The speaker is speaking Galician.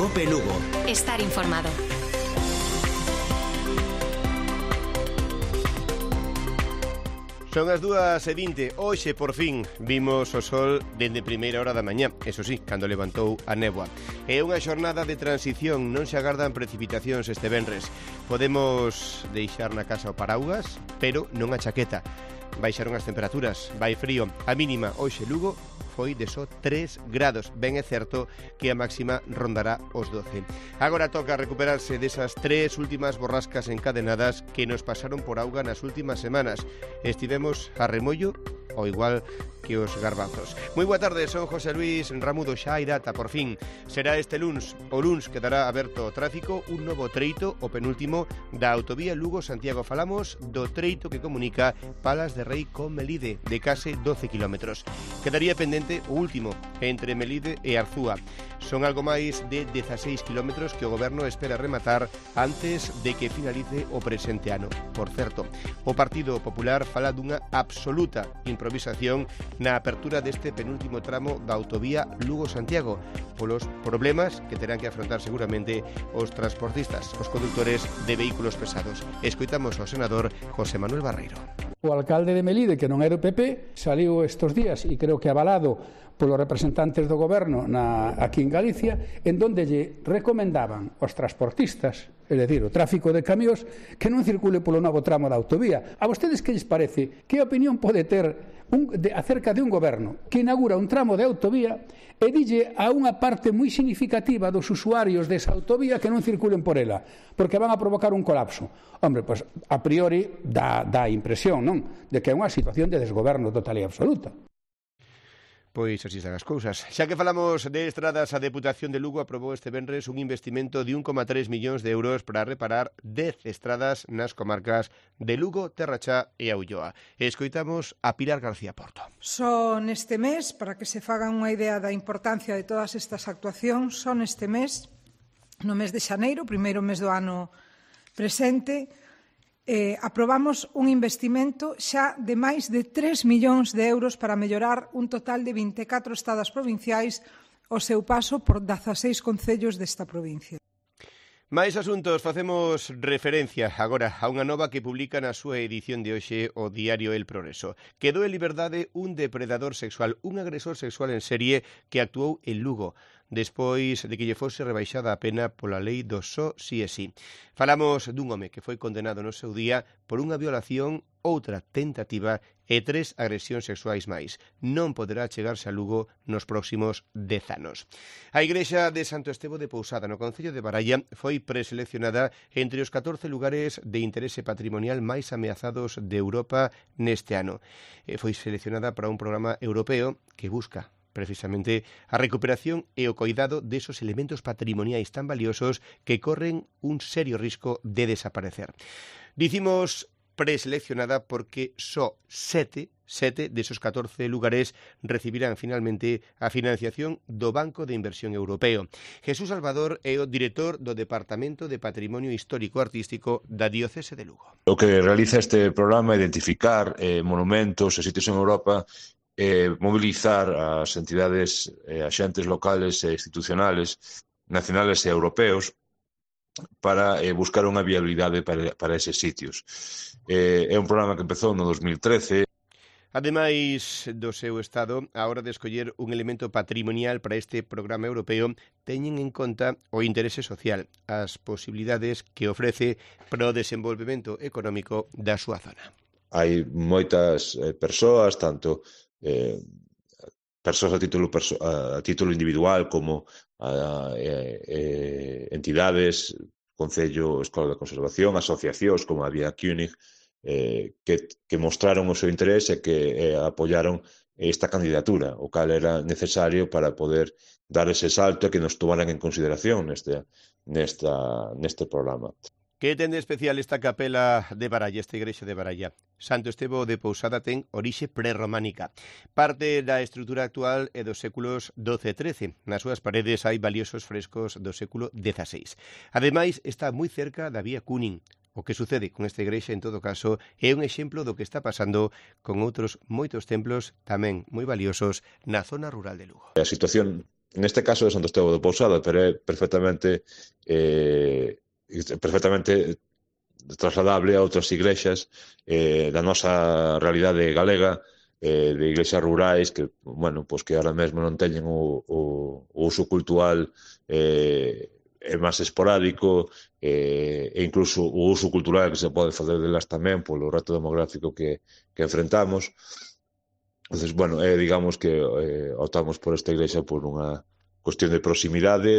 Cope Lugo. Estar informado. Son as 2:20. Hoxe, por fin, vimos o sol dende primeira hora da mañá. Eso sí, cando levantou a néboa. É unha xornada de transición, non se agardan precipitacións este venres. Podemos deixar na casa o paraugas, pero non a chaqueta. Baixaron as temperaturas, vai frío. A mínima hoxe Lugo foi de só 3 grados. Ben é certo que a máxima rondará os 12. Agora toca recuperarse desas 3 últimas borrascas encadenadas que nos pasaron por auga nas últimas semanas. Estivemos a remollo ou igual que os garbanzos. Moi boa tarde, son José Luis Ramudo. Xa hai data, por fin. Será este luns. O luns quedará aberto o tráfico un novo treito, o penúltimo da autovía Lugo-Santiago. Falamos do treito que comunica Palas de Rei con Melide, de case 12 kilómetros. Quedaría pendente o último, entre Melide e Arzúa. Son algo máis de 16 kilómetros que o Goberno espera rematar antes de que finalice o presente ano. Por certo, o Partido Popular fala dunha absoluta improvisación na apertura deste penúltimo tramo da autovía Lugo-Santiago, polos problemas que terán que afrontar seguramente os transportistas, os condutores de vehículos pesados. Escoitamos ao senador José Manuel Barreiro. O alcalde de Melide, que non era o PP, saliu estes días, e creo que avalado polos representantes do goberno aquí en Galicia, en donde lle recomendaban aos transportistas, é dicir, o tráfico de camións, que non circule polo novo tramo da autovía. A vostedes que lles parece? Que opinión pode ter acerca de un goberno que inaugura un tramo de autovía e dille a unha parte moi significativa dos usuarios desa autovía que non circulen por ela, porque van a provocar un colapso? Hombre, pois a priori dá a impresión, non?, de que é unha situación de desgoberno total e absoluta. Pois así están as cousas. Xa que falamos de estradas, a Deputación de Lugo aprobou este venres un investimento de 1,3 millóns de euros para reparar 10 estradas nas comarcas de Lugo, Terrachá e a Ulloa. Escoitamos a Pilar García Porto. Só neste mes, para que se fagan unha idea da importancia de todas estas actuacións, só neste mes, no mes de xaneiro, primeiro mes do ano presente, aprobamos un investimento xa de máis de 3 millóns de euros para mellorar un total de 24 estradas provinciais ao seu paso por 16 concellos desta provincia. Mais asuntos, facemos referencia agora a unha nova que publica na súa edición de hoxe o diario El Progreso. Quedou en liberdade un depredador sexual, un agresor sexual en serie que actuou en Lugo, despois de que lle fose rebaixada a pena pola lei do só si e si. Falamos dun home que foi condenado no seu día por unha violación, outra tentativa e 3 agresións sexuais máis. Non poderá chegarse a Lugo nos próximos 10 anos. A igrexa de Santo Estevo de Pousada, no concello de Baralla, foi preseleccionada entre os 14 lugares de interese patrimonial máis ameazados de Europa neste ano. Foi seleccionada para un programa europeo que busca precisamente a recuperación e o coidado desos elementos patrimoniais tan valiosos que corren un serio risco de desaparecer. Dicimos preseleccionada porque só 7 desos 14 lugares recibirán finalmente a financiación do Banco de Inversión Europeo. Jesús Salvador é o director do Departamento de Patrimonio Histórico Artístico da Diocese de Lugo. O que realiza este programa é identificar monumentos e sitios en Europa, mobilizar as entidades e axentes locales e institucionales, nacionales e europeos, para buscar unha viabilidade para eses sitios. É un programa que empezou no 2013. Ademais do seu estado, a hora de escoller un elemento patrimonial para este programa europeo, teñen en conta o interese social, as posibilidades que ofrece para o desenvolvemento económico da súa zona. Hai moitas persoas, tanto persoas a título individual como entidades, Concello, Escola de Conservación, asociacións como a Vía König, que mostraron o seu interese e que apoyaron esta candidatura, o cal era necesario para poder dar ese salto e que nos tomaran en consideración neste programa. Que ten de especial esta capela de Baralla, esta igrexa de Baralla? Santo Estevo de Pousada ten orixe prerrománica. Parte da estrutura actual é dos séculos XII e XIII. Nas súas paredes hai valiosos frescos do século XVI. Ademais, está moi cerca da Vía König. O que sucede con esta igrexa, en todo caso, é un exemplo do que está pasando con outros moitos templos tamén moi valiosos na zona rural de Lugo. A situación neste caso de Santo Estevo de Pousada, pero é perfectamente trasladable a outras iglesias da nosa realidade galega, de iglesias rurais que, bueno, pues que ahora mesmo non teñen o uso cultural é máis esporádico, e incluso o uso cultural que se pode facer delas tamén polo reto demográfico que enfrentamos. Entonces, bueno, digamos que optamos por esta iglesia por unha cuestión de proximidade,